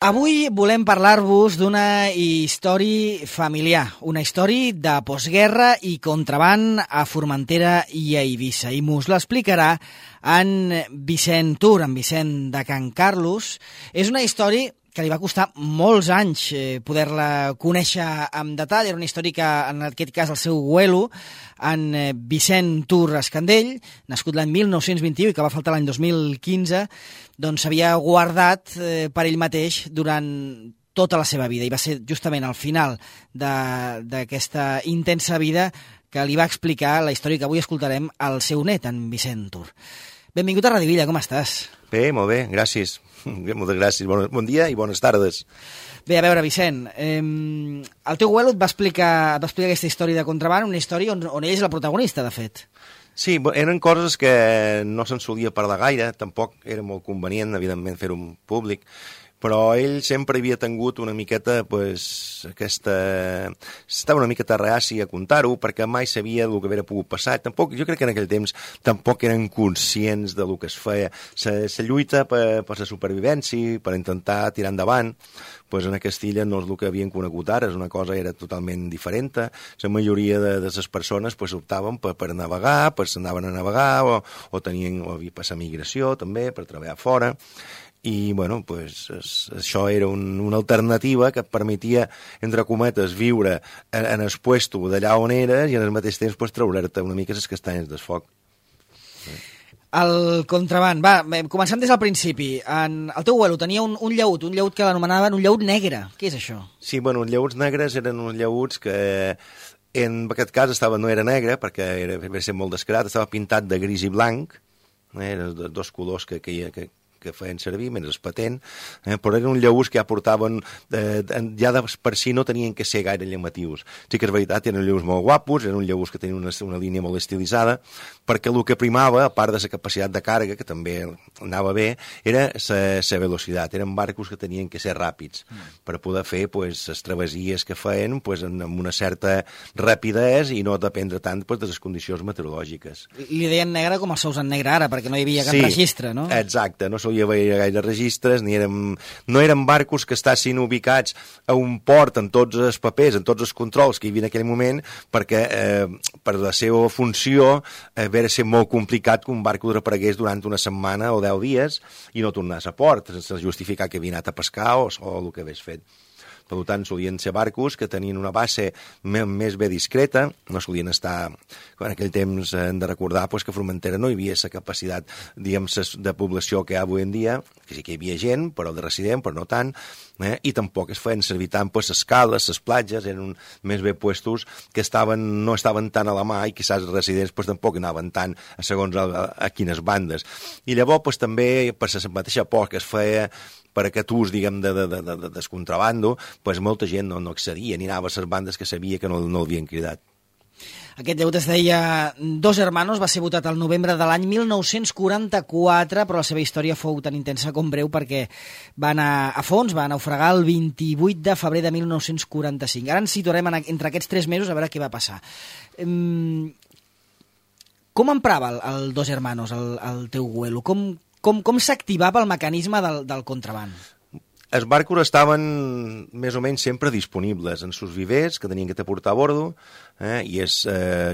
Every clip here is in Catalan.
Avui volem parlar-vos d'una història familiar, una història de postguerra i contraban a Formentera i a Eivissa. I mos l'explicarà en Vicent Tur, en Vicent de Can Carlos. És una història que li va costar molts anys poder-la conèixer amb detall. Era una història que, en aquest cas, el seu abuelo, en Vicent Tur Escandell, nascut l'any 1921 i que va faltar l'any 2015, doncs s'havia guardat per ell mateix durant tota la seva vida. I va ser justament al final d'aquesta intensa vida que li va explicar la història que avui escoltarem al seu net, en Vicent Tur. Benvingut a Radio Villa, com estàs? Bé, molt bé, gràcies. Moltes gràcies. Bon dia i bones tardes. Bé, a veure, Vicent, el teu abuelo et va explicar aquesta història de contraban, una història on ell és la protagonista, de fet. Sí, eren coses que no se'n solia parlar gaire, tampoc era molt convenient, evidentment, fer-ho públic, però ell sempre havia tingut una miqueta, estava una miqueta reaci a contar-ho, perquè mai sabia el que havia pogut passar. Tampoc, jo crec que en aquell temps tampoc eren conscients de lo que es feia. La lluita per la supervivència, per intentar tirar endavant, en Castilla no és el que havien conegut ara, és una cosa era totalment diferent. La majoria de les persones optaven per navegar, s'anaven a navegar, o havia passat migració també, per treballar fora. I, això era una alternativa que et permetia, entre cometes, viure en el puesto d'allà on eres i al mateix temps treure'te una mica les castanyes del foc. El contraban, va, començant des del principi. El teu abuelo tenia un llaüt que l'anomenaven un llaüt negre. Què és això? Sí, els llaüts negres eren uns llaüts que en aquest cas no era negre, perquè va ser molt descarat, estava pintat de gris i blanc, eren dos colors que feien servir, menys patent, però eren uns llaüts que ja portaven, ja per si no tenien que ser gaire llamatius. Sí que és veritat, eren llaüts molt guapos, eren uns llaüts que tenien una línia molt estilitzada, perquè el que primava, a part de la capacitat de càrrega, que també anava bé, era la velocitat. Eren barcos que tenien que ser ràpids per poder fer les travessies que feien amb una certa rapidesa i no dependre tant de les condicions meteorològiques. Li deien negre com els seus en negre ara, perquè no hi havia cap registre, no? Exacte, no hi havia gaire registres, no eren barcos que estessin ubicats a un port amb tots els papers, amb tots els controls que hi havia en aquell moment, perquè per la seva funció va ser molt complicat que un barco desaparegués durant una setmana o 10 dies i no tornés a port, sense justificar que havia anat a pescar o el que hagués fet. Per tant, solien ser barcos que tenien una base més bé discreta, no solien estar... En aquell temps hem de recordar que a Formentera no hi havia la capacitat, de població que hi ha avui en dia, que sí que hi havia gent, però de resident, però no tant, i tampoc es feien servir tant les cales, les platges, eren més bé puestos que no estaven tan a la mà i quizás els residents tampoc anaven tant segons a quines bandes. I llavors també per la mateixa por que es feia per aquest ús, diguem, de descontrabando, molta gent no accedia ni anava a les bandes que sabia que no l'havien cridat. Aquest llaüt es deia Dos Hermanos, va ser votat al novembre de l'any 1944, però la seva història fou tan intensa com breu perquè va anar a fons, va naufragar el 28 de febrer de 1945. Ara ens situarem entre aquests 3 mesos a veure què va passar. Com emprava el Dos Hermanos, el teu abuelo? Com s'activava el mecanisme del contraban? Els barcos estaven més o menys sempre disponibles en sus vivers que tenien que portar a bordo, i és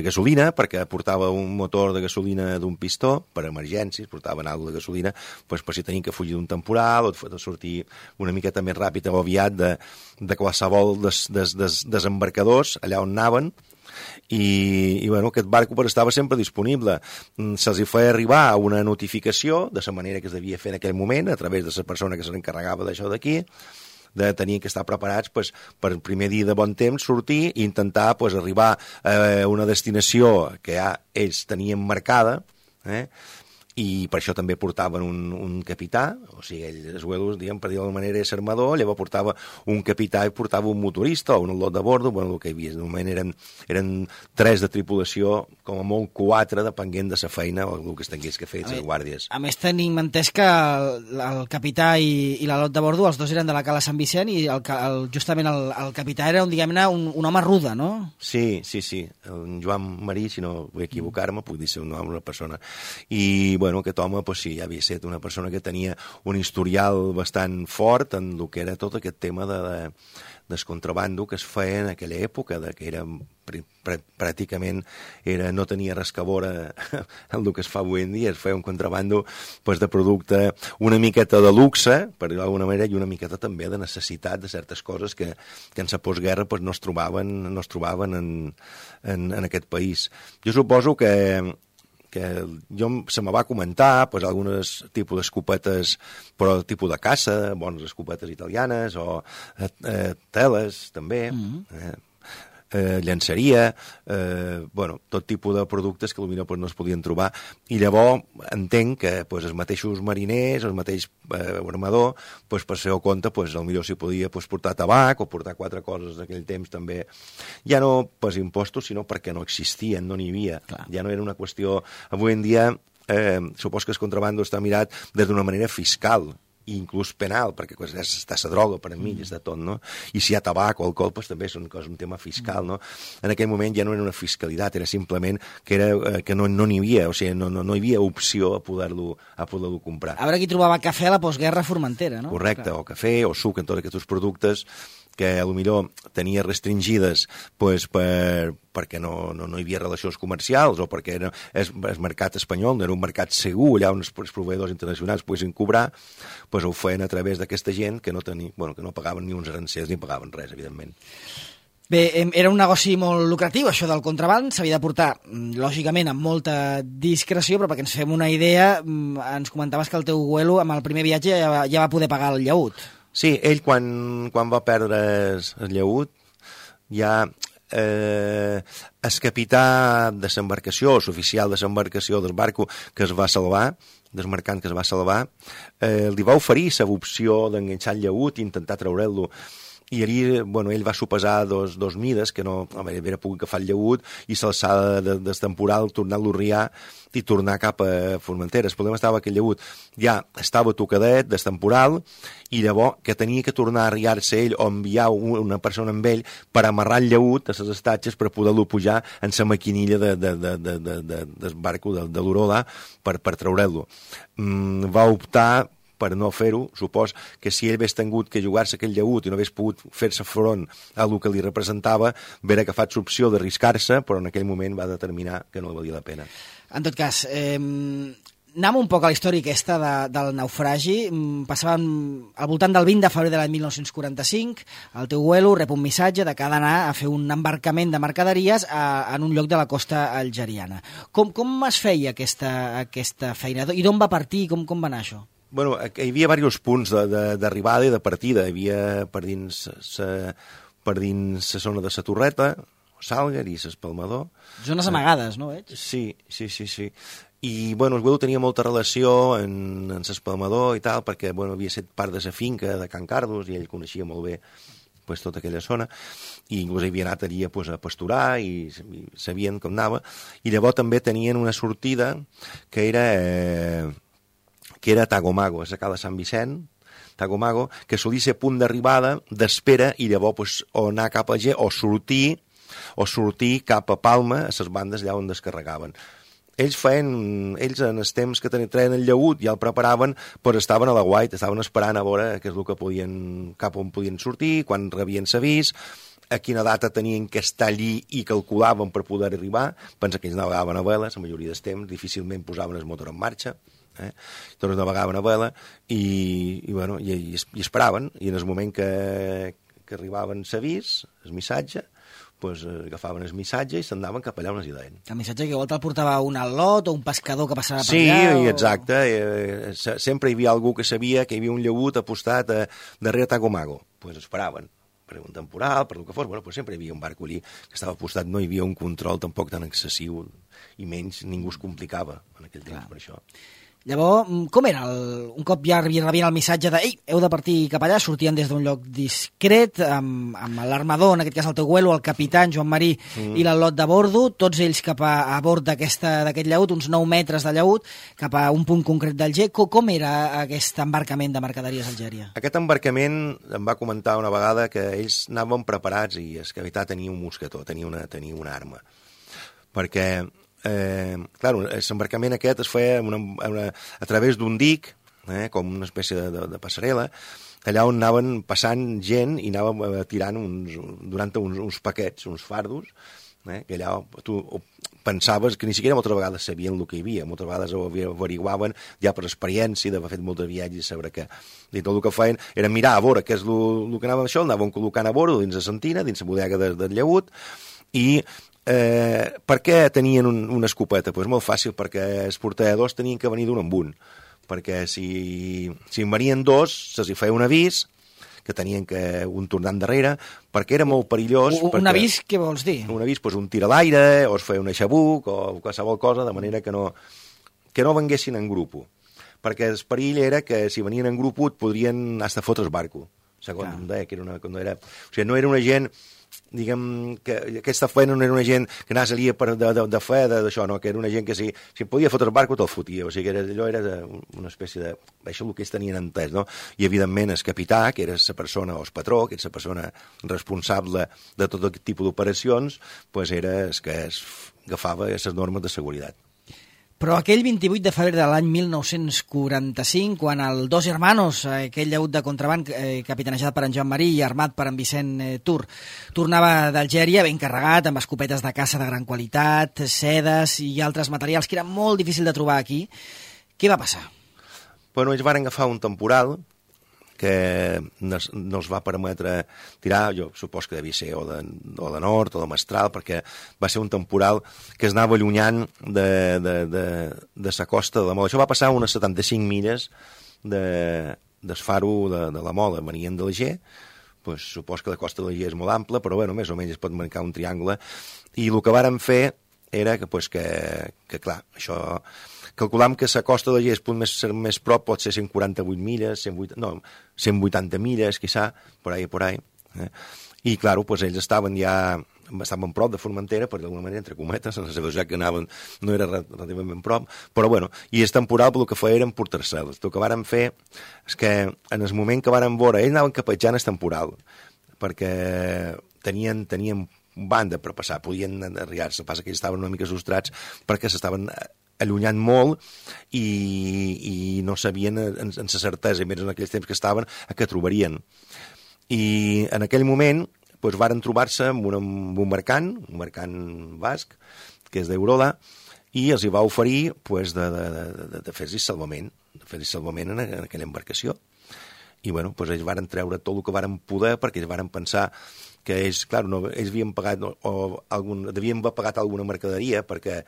gasolina, perquè portava un motor de gasolina d'un pistó per emergències, portaven alguna de gasolina per si tenien que fugir d'un temporal o de sortir una miqueta més ràpid o aviat de qualsevol desembarcadors allà on anaven. I aquest barco estava sempre disponible. Se'ls feia arribar una notificació de la manera que es devia fer en aquell moment a través de la persona que se n'encarregava d'això d'aquí, tenien que estar preparats per el primer dia de bon temps sortir i intentar arribar a una destinació que ja ells tenien marcada, i per això també portaven un capità, o sigui, els abuelos, diguem, per dir d'alguna manera, és armador, llavors portava un capità i portava un motorista o un lot de bordo, el que hi havia, de moment eren 3 de tripulació, com a molt 4, depenent de la feina o el que es tingués que fer, les guàrdies. A més, tenim entès que el capità i la lot de bordo, els dos eren de la Cala Sant Vicent i justament el capità era, diguem-ne, un home ruda, no? Sí, el Joan Marí, si no vull equivocar-me, puc dir ser un home, una persona. I, bueno, aquest home, pues, sí, ja havia estat una persona que tenia un historial bastant fort en el que era tot aquest tema del contrabando que es feia en aquella època, que era pràcticament no tenia res que veure amb el que es fa avui en dia, es feia un contrabando pues, de producte una miqueta de luxe, per dir d'alguna manera, i una miqueta també de necessitat de certes coses que en la postguerra pues, no es trobaven en aquest país. Jo suposo que se me va comentar pues, algunes tipus d'escopetes, però tipus de caça, bones escopetes italianes, o teles, també, llançaria, bueno, tot tipus de productes que potser pues, no es podien trobar, i llavors entenc que pues, els mateixos mariners, el mateix armador, pues, per ser compte, pues, potser s'hi podia pues, portar tabac o portar 4 coses d'aquell temps també, ja no per impostos, sinó perquè no existien, no n'hi havia. Clar. Ja no era una qüestió... Avui en dia, supos que el contrabando està mirat des d'una manera fiscal, i inclús penal, perquè està la droga per enmig, està tot, no? I si hi ha tabac o alcohol, pues, també és un tema fiscal, no? En aquell moment ja no era una fiscalitat, era simplement que no n'hi havia, o sigui, no hi havia opció a poder-lo comprar. A veure qui trobava cafè a la postguerra a Formentera, no? Correcte, o cafè, o suc, en tots aquests productes que potser tenia restringides pues, perquè no hi havia relacions comercials o perquè el mercat espanyol no era un mercat segur, allà on els proveïdors internacionals poguessin cobrar, pues, ho feien a través d'aquesta gent que no pagaven ni uns arancers ni pagaven res, evidentment. Bé, era un negoci molt lucratiu, això del contraband, s'havia de portar, lògicament, amb molta discreció, però perquè ens fem una idea, ens comentaves que el teu abuelo, amb el primer viatge, ja va poder pagar el llaüt. Sí, ell quan va perdre el llaüt, ja el capità de l'embarcació, l'oficial de l'embarcació del barco que es va salvar, del mercant que es va salvar, li va oferir l'opció d'enganxar el llaüt i intentar treure'l-lo. I ell va sopesar dos mides, que no havia pogut agafar el llaüt i s'alçar del temporal, tornar-lo a riar i tornar cap a Formentera. El problema estava que el llaüt ja estava tocadet del temporal i llavors que tenia que tornar a riar-se ell o enviar una persona amb ell per amarrar el llaüt a les estatges per poder-lo pujar en la maquinilla del barco de l'Urola per treure'l-lo. Va optar per no fer-ho. Supos que si ell hagués tingut que jugar-se aquell llaüt i no hagués pogut fer-se front a el que li representava, hagués agafat l'opció d'arriscar-se, però en aquell moment va determinar que no valia la pena. En tot cas, anem un poc a la història aquesta del naufragi. Passàvem al voltant del 20 de febrer de l'any 1945, el teu abuelo rep un missatge de que ha d'anar a fer un embarcament de mercaderies en un lloc de la costa algeriana. Com es feia aquesta feina? I d'on va partir? Com va anar això? Bueno, hi havia diversos punts d'arribada i de partida. Hi havia per dins la zona de la Torreta, Sàlguer i l'Espalmador. Zones amagades, no veig? Sí. I, el Güell tenia molta relació en l'Espalmador i tal, perquè, havia estat part de la finca de Can Cardos i ell coneixia molt bé tota aquella zona, i inclús havia anat allà a pasturar i sabien com anava. I llavors també tenien una sortida que era Tagomago, és a cala Sant Vicent, Tagomago, que solia ser punt d'arribada, d'espera, i llavors o anar cap a G o sortir cap a Palma, a les bandes allà on descarregaven. Ells en els temps que treien el llaüt ja el preparaven, però estaven a la guaita, estaven esperant a veure què és el que cap on podien sortir, quan rebien l'avís, a quina data tenien que estar allí i calculaven per poder arribar. Pensa que ells navegaven a vela, la majoria del temps, difícilment posaven el motor en marxa, tots navegaven a vela i esperaven, i en el moment que arribaven l'avís, el missatge, agafaven el missatge i s'andaven cap allà on es deien. El missatge que volta el portava un al·lot o un pescador que passava per allà? Sí, exacte. Sempre hi havia algú que sabia que hi havia un llaüt apostat darrere Tagomago. Esperaven per un temporal, per el que fos, sempre hi havia un barco allí que estava apostat, no hi havia un control tampoc tan excessiu i menys ningú es complicava en aquell temps per això. Llavors, com era? Un cop ja rebien el missatge de «Ei, heu de partir cap allà», sortien des d'un lloc discret, amb l'armador, en aquest cas el teu abuelo, el capità, Joan Marí, i l'al·lot de bordo, tots ells cap a bord d'aquest llaüt, uns 9 metres de llaüt, cap a un punt concret del G. Com era aquest embarcament de mercaderies a Algèria? Aquest embarcament em va comentar una vegada que ells anaven preparats i el capità tenia un mosquetó, tenia una arma, perquè clar, l'embarcament aquest es feia a través d'un dic, com una espècie de passarel·la, allà on anaven passant gent i anàvem tirant durant uns paquets, uns fardos, que allà tu pensaves que ni siquiera moltes vegades sabien el que hi havia, moltes vegades ho averiguaven ja per experiència, d'haver fet molts viatges i saber què. I tot el que feien era mirar a veure què és el que anàvem això, anàvem col·locant a veure dins la sentina, dins la bodega del llagut, i per què tenien una escopeta? Doncs molt fàcil, perquè els portadors tenien que venir d'un en un, perquè si en venien dos, se'ls feia un avís, que tenien que un tornar endarrere, perquè era molt perillós. Un avís, què vols dir? Un avís, doncs un tir a l'aire, o es feia un aixabuc, o qualsevol cosa, de manera que no venguessin en grup. Perquè el perill era que si venien en grup podrien hasta fotre el barco. Segons em deia, que era o sigui, no era una gent, diguem, que aquesta feina no era una gent que anava a salir de fe d'això, no? Que era una gent que si podia fotre el barco te'l fotia, o sigui que allò era una espècie de... Això és el que ells tenien entès, no? I evidentment el capità, que era la persona, o el patró, que era la persona responsable de tot aquest tipus d'operacions, doncs era el que agafava les normes de seguretat. Però aquell 28 de febrer de l'any 1945, quan el Dos Hermanos, aquell llaut de contraband capitanejat per en Joan Marí i armat per en Vicent Tur, tornava d'Algèria ben carregat, amb escopetes de caça de gran qualitat, sedes i altres materials que era molt difícil de trobar aquí. Què va passar? Bueno, ells van agafar un temporal que no els va permetre tirar, jo supos que devia ser o de nord o de mestral, perquè va ser un temporal que es anava allunyant de la costa de la Mola. Això va passar unes 75 milles del faro de la Mola. Venien de l'Alger, doncs supos que la costa de l'Alger és molt ampla, però bueno, més o menys es pot marcar un triangle, i el que varen fer era que clar, això... Calculam que la costa de l'Alger, el punt més prop, pot ser 148 milles, 180 milles, quizà, por ahí. I, clar, pues, ells estaven prop de Formentera, per d'alguna manera, entre cometes, en la velocitat que anaven no era relativament prop, però, bueno, i el temporal, el que feia era emportar-se'ls. El que varen fer és que, en el moment que varen veure, ells anaven capetjant el temporal, perquè tenien banda per passar, podien arribar-se, passa que ells estaven una mica sostrats perquè s'estaven allunyant molt i no sabien en sa certesa, i més en aquells temps que estaven, a què trobarien. I en aquell moment doncs, varen trobar-se amb un mercant basc, que és d'Eurola, i els hi va oferir doncs, de fer-hi salvament, en aquella embarcació. I bueno, doncs ells varen treure tot el que varen poder, perquè ells varen pensar que ells, clar, ells havien pagat devien haver pagat alguna mercaderia, perquè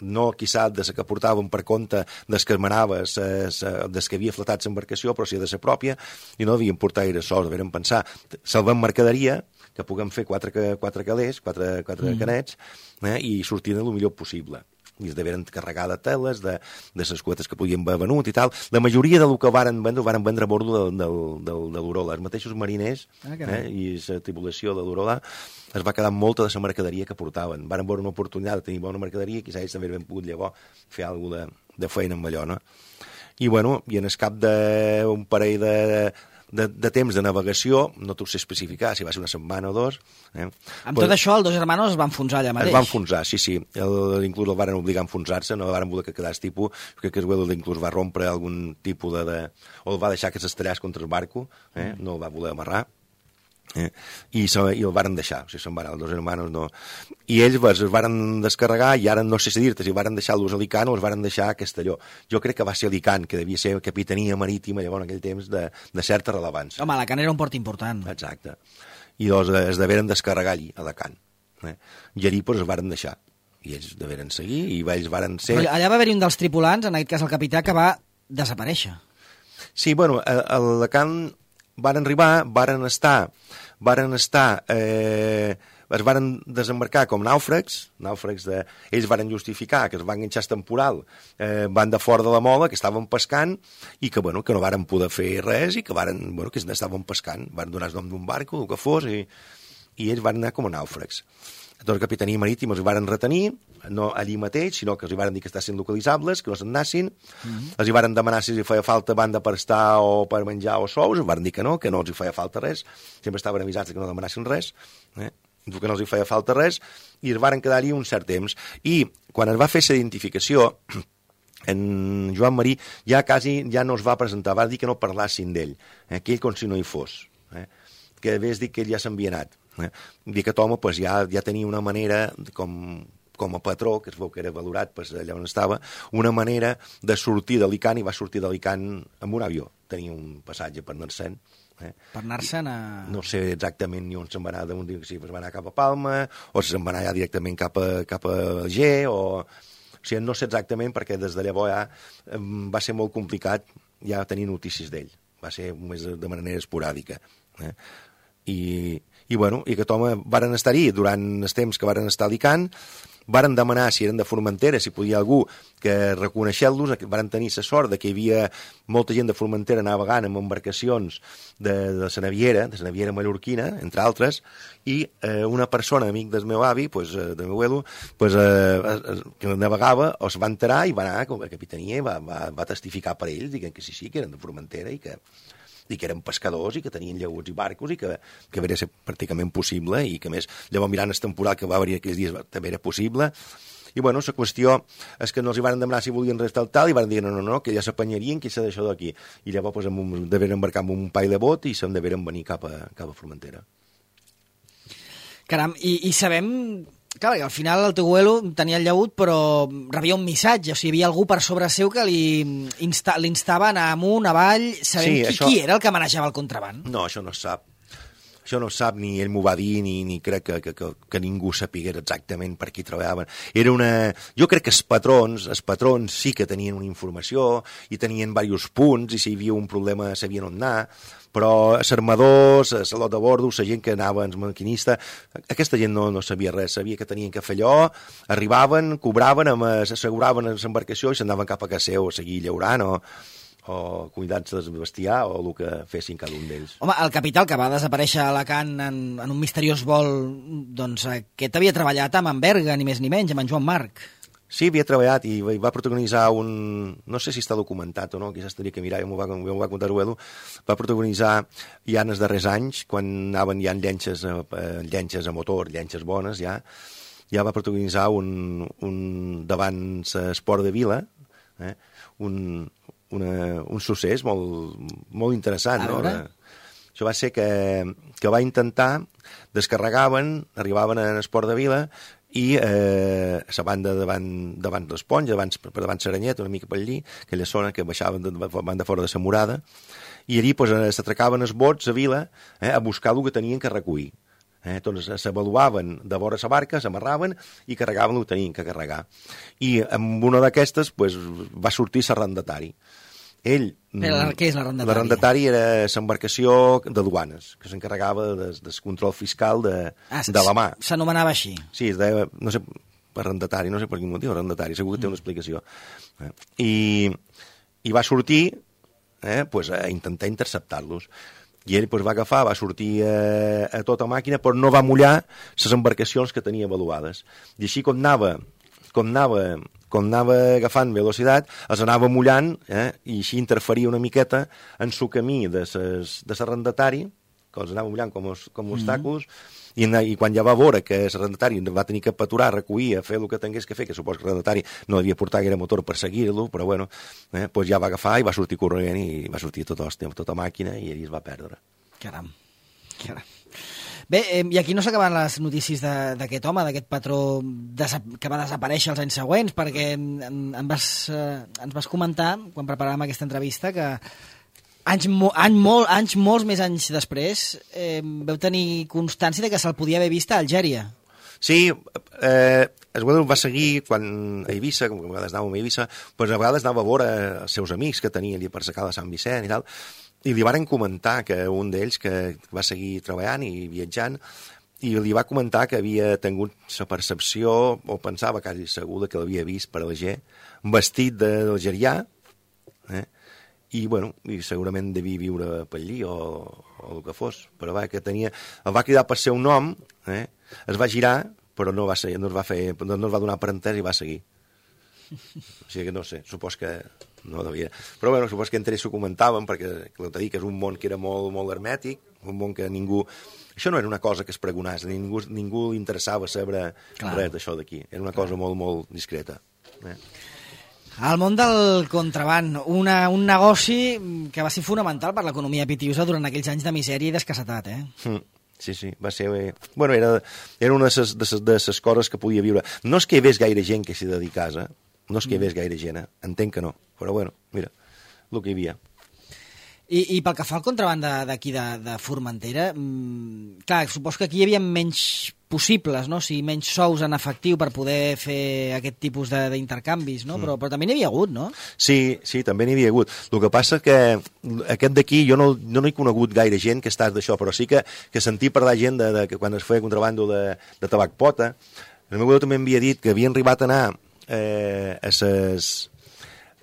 no, quizà, de la que portaven per compte des que manava, des que havia flotat l'embarcació, però sí de la pròpia, i no devien portar gaire sols, devien pensar, salvem mercaderia, que puguem fer quatre calés, quatre canets, i sortir el millor possible. I es deveren carregar de teles, de les cuetes que podien haver venut i tal. La majoria del que varen vendre a bordo de l'Urola. Els mateixos mariners i la tripulació de l'Urola es va quedar molta de la mercaderia que portaven. Varen veure una oportunitat de tenir bona mercaderia i quizà ells també havien pogut llavors fer alguna de feina amb allò, no? I, bueno, i en el cap d'un parell de temps de navegació, no t'ho sé especificar, si va ser una setmana o dos. Amb tot això, els Dos Hermanos es van enfonsar allà mateix. Es van enfonsar, sí. Inclús el varen obligar a enfonsar-se, no varen voler que quedés tipus, crec que el inclús va rompre algun tipus o el va deixar que s'estrellés contra el barco, no el va voler amarrar. I el varen deixar, o sigui, se'n van els Dos Hermanos, no. I ells es varen descarregar, i ara no sé si dir-te si varen deixar-los a Alicant o els varen deixar a Castelló. Jo crec que va ser Alicant, que devia ser capitania marítima llavors en aquell temps de certa rellevància. Home, Alacant era un port important. Exacte. I doncs es deveren descarregar allí, a Alacant. I allí doncs es varen deixar. I ells deveren seguir, i ells varen ser... Però allà va haver-hi un dels tripulants, en aquest cas el capità, que va desaparèixer. Sí, bueno, a Alacant varen arribar, es varen desembarcar com nàufrags ells varen justificar que es van enganxar temporal, van de fora de la Mola, que estaven pescant i que no varen poder fer res i que estaven pescant, van donar el nom d'un barco, el que fos, i ells van anar com a nàufrags. Doncs la capitania marítima els varen retenir, no allí mateix, sinó que els varen dir que estassin localitzables, que no se'n nassin, els varen demanar si els feia falta banda per estar o per menjar o sous, els varen dir que no els feia falta res, sempre estaven avisats que no demanassin res, que no els hi feia falta res, i es varen quedar-hi un cert temps. I quan es va fer la identificació, en Joan Marí ja no es va presentar, va dir que no parlassin d'ell, que ell com si no hi fos, que hagués dit que ell ja s'havia anat. Dir que aquest home pues, ja tenia una manera, com a patró, que es veu que era valorat pues, allà on estava, una manera de sortir d'Alicant, i va sortir d'Alicant amb un avió. Tenia un passatge per anar-se'n. Per anar-se'n a... No sé exactament ni on se'n va anar, d'un dia que sí, va anar cap a Palma, o se'n va anar ja directament cap a Alger, o sigui, no sé exactament, perquè des de llavors ja va ser molt complicat ja tenir notícies d'ell. Va ser més de manera esporàdica. I aquest home varen estar-hi durant els temps que varen estar a Alicant, varen demanar si eren de Formentera, si podia algú que reconeixer-los, varen tenir la sort de que hi havia molta gent de Formentera navegant amb embarcacions de la Naviera mallorquina, entre altres, i una persona, amic del meu avi, del meu abuelo, que navegava, es va enterar i va anar a la capitania i va testificar per ells, dient que sí, que eren de Formentera i que eren pescadors i que tenien llaguts i barcos i que hauria ser pràcticament possible i que, més, llavors mirant el temporal que va haver aquells dies també era possible. I, la qüestió és que no els hi van demanar si volien res tal i van dir no, que ja s'apanyarien, que s'ha d'això d'aquí. I llavors deveren embarcar amb un paio de bot i se'n deveren venir cap a Formentera. Caram, i sabem... Clar, al final el teu abuelo tenia el llaüt, però rebia un missatge, o sigui, hi havia algú per sobre seu que l'instava a anar amunt, avall... Sabem qui era el que manejava el contraban? No, això no es sap. Això no es sap, ni ell m'ho va dir, ni crec que ningú sapigués exactament per qui treballaven. Jo crec que els patrons sí que tenien una informació i tenien diversos punts, i si hi havia un problema sabien on anar, però els armadors, el lot de bordo, la gent que anava, els maquinistes, aquesta gent no sabia res, sabia que tenien que fer allò, arribaven, cobraven, s'asseguraven en l'embarcació i s'anaven cap a casa seu a seguir llaurant o cuidant-se del bestiar o el que fessin cada un d'ells. Home, el capital que va desaparèixer a Alacant en un misteriós vol, doncs aquest havia treballat amb en Berga, ni més ni menys, amb en Joan Marc. Sí, havia treballat i va protagonitzar no sé si està documentat o no, quizás tindria que mirar, m'ho va contar Uedo, va protagonitzar ja en els darrers anys, quan anaven ja en llenxes a motor, llenxes bones, ja va protagonitzar davant l'esport de Vila, un succés molt interessant. No? Això va ser que va intentar, arribaven a l'esport de Vila, i la banda davant l'Esponja, davant Saranyet, una mica per allí, aquella zona que baixaven de fora de la Morada, i allí s'atracaven els bots a Vila a buscar el que tenien que recollir. Doncs s'avaluaven de vora la barca, s'amarraven i carregaven el que tenien que carregar. I amb una d'aquestes va sortir l'arrendatari. Què és l'arrendatari? L'arrendatari era l'embarcació de duanes, que s'encarregava del control fiscal de la mà. S'anomenava així? Sí, es deia, no sé, arrendatari, no sé per quin motiu, arrendatari, segur que té una explicació. I va sortir a intentar interceptar-los. I ell va sortir a tota màquina, però no va mullar les embarcacions que tenia avaluades. I així com anava agafant velocitat, els anava mullant i així interferia una miqueta en el camí de l'arrendatari, que els anava mullant com obstacles, i quan ja va veure que l'arrendatari va tenir que aturar, recollir, fer el que tingués que fer, que supos que l'arrendatari no devia portar gaire motor per seguir-lo, però bueno, ja va agafar i va sortir corrent i va sortir tota màquina i ell es va perdre. Caram. Bé, i aquí no s'acaben les notícies d'aquest home, d'aquest patró que va desaparèixer els anys següents, perquè ens vas comentar, quan preparàvem aquesta entrevista, que molts més anys després veu tenir constància de que se'l podia haver vist a Algèria. Sí, es va seguir quan a Eivissa, com a vegades anàvem a Eivissa, a vegades anava a veure els seus amics que tenia allà per la cala de Sant Vicent i tal, i li varen comentar que un d'ells que va seguir treballant i viatjant, i li va comentar que havia tingut la percepció, o pensava quasi segur que l'havia vist per Alger, vestit d'algerià, i segurament devia viure per allí o el que fos, però el va cridar per seu nom, es va girar, però no es va donar per entès i va seguir. O sigui que no sé, supos que no devia. Però supos que entre ells s'ho comentaven, perquè t'he dit que és un món que era molt, molt hermètic, un món que ningú... Això no era una cosa que es pregonàs, ningú li interessava saber res d'això d'aquí. Era una cosa molt, molt discreta. El món del contraban, un negoci que va ser fonamental per l'economia pitiusa durant aquells anys de misèria i d'escassetat, Sí, va ser... Bueno, era una de les coses que podia viure. No és que hi hagués gaire gent que s'hi dedicés, no és que hi hagués gaire gent, entenc que no, però bueno, mira, el que hi havia. I pel que fa al contraban d'aquí de Formentera, clar, suposo que aquí hi havia menys possibles, no? O sigui, menys sous en efectiu per poder fer aquest tipus d'intercanvis, no? Però també n'hi havia hagut, no? Sí, també n'hi havia hagut. El que passa que aquest d'aquí jo no he conegut gaire gent que estàs d'això, però sí que sentir parlar gent que quan es feia contrabando de tabac pota, el meu també m'havia dit que havien arribat a anar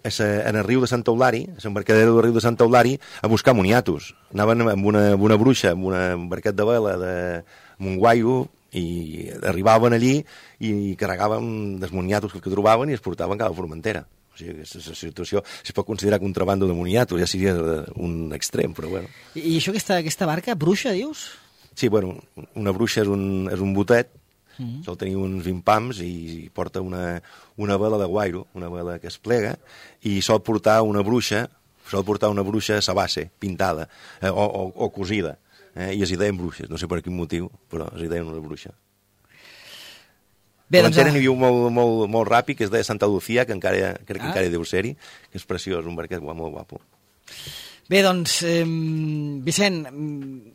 en el riu de Sant Eulari, a l'embarcadero del riu de Sant Eulari, a buscar moniatos. Anaven amb una bruixa, amb un barquet de vela amb un guairo, i arribaven allí i carregaven dels moniatos que trobaven i es portaven cap a Formentera. O sigui, aquesta situació es pot considerar contrabando de moniatos, ja seria un extrem, però bueno. I això, aquesta barca, bruixa, dius? Sí, bueno, una bruixa és un botet, sol tenir uns 20 pams i porta una vela de guairo, una vela que es plega, i sol portar una bruixa a sa base, pintada o cosida, i es hi deien bruixes, no sé per quin motiu, però es hi deien una bruixa. Bé, n'hi havia un molt ràpid, que es deia Santa Lucía, que crec que encara deu ser-hi, que és preciós, un barquet molt guapo. Bé, doncs, Vicent,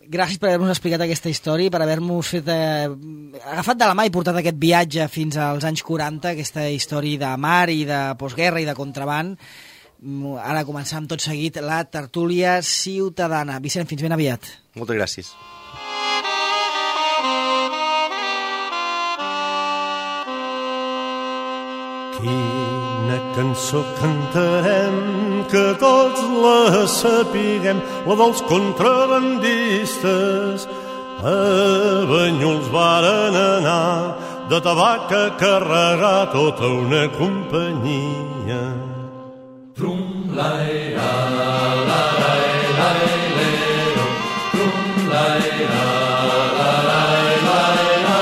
gràcies per haver-nos explicat aquesta història, per haver-nos agafat de la mà i portat aquest viatge fins als anys 40, aquesta història de mar i de postguerra i de contraban. Ara començam tot seguit la tertúlia ciutadana. Vicent, fins ben aviat. Moltes gràcies. Quina cançó cantarem que tots la sapiguem, la dels contrabandistes. A Banyuls varen anar de tabac a carregar tota una companyia. Trum-lai-ra, la-lai-lai-lero, trum-lai-ra, la-lai-lai-ra,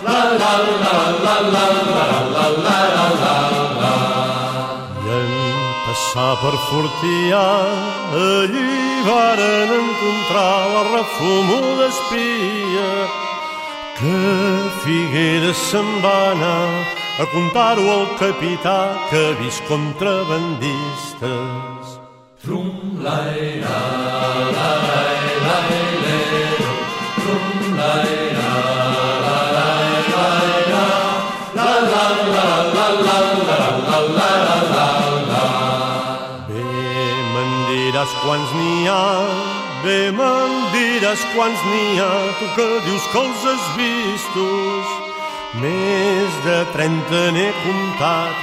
la-la-la-la-la-la-la-la-la. I en passar per Fortià, allí varen encontrar la refumuda espia, que Figueres se'n va anar a contar-ho al capità que ha vist contrabandistes. Trum-lai-ra, la-lai-lai-lero, trum-lai-ra, la-lai-lai-ra, la-la-la-la-la-la-la-la-la. Bé me'n diràs quants n'hi ha, bé me'n diràs quants n'hi ha, tu que dius que els has vistos. Més de 30 n'he comptat,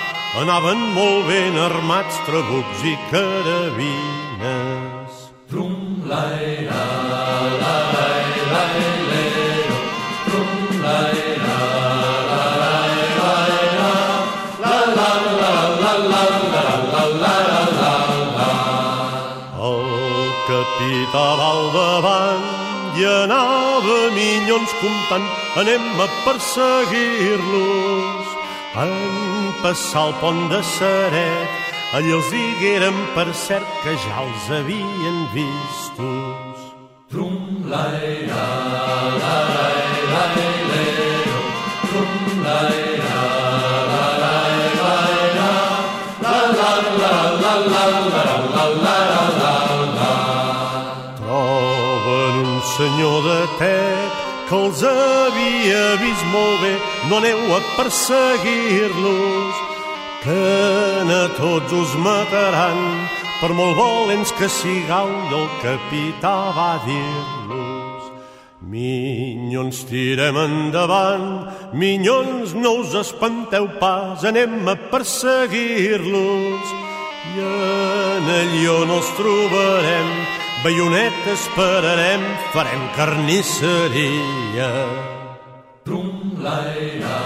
anaven molt ben armats, trabucs i carabines. Trum-lai-ra, la-lai-lai-lero, trum-lai-ra, la-lai-lai-ra, la-la-la-la-la-la-la-la-la. El capità va al davant i anava minyons comptant, anem a perseguir-los. En passar el pont de Ceret, allí els digueren per cert que ja els havien vistos. Trum-lai-ra, la-lai-lai-lero, trum-lai-ra, la-lai-lai-ra, la-la-la-la-la-la-la-la-la. Troben un senyor de Tet que els havia vist molt bé, no aneu a perseguir-los, que a tots us mataran, per molt valents que sigueu. I el capità va dir-los: minyons, tirem endavant, minyons, no us espanteu pas, anem a perseguir-los, i en allí on els trobarem, baionetes pararem, farem carnisseria. Trum-lai-ra,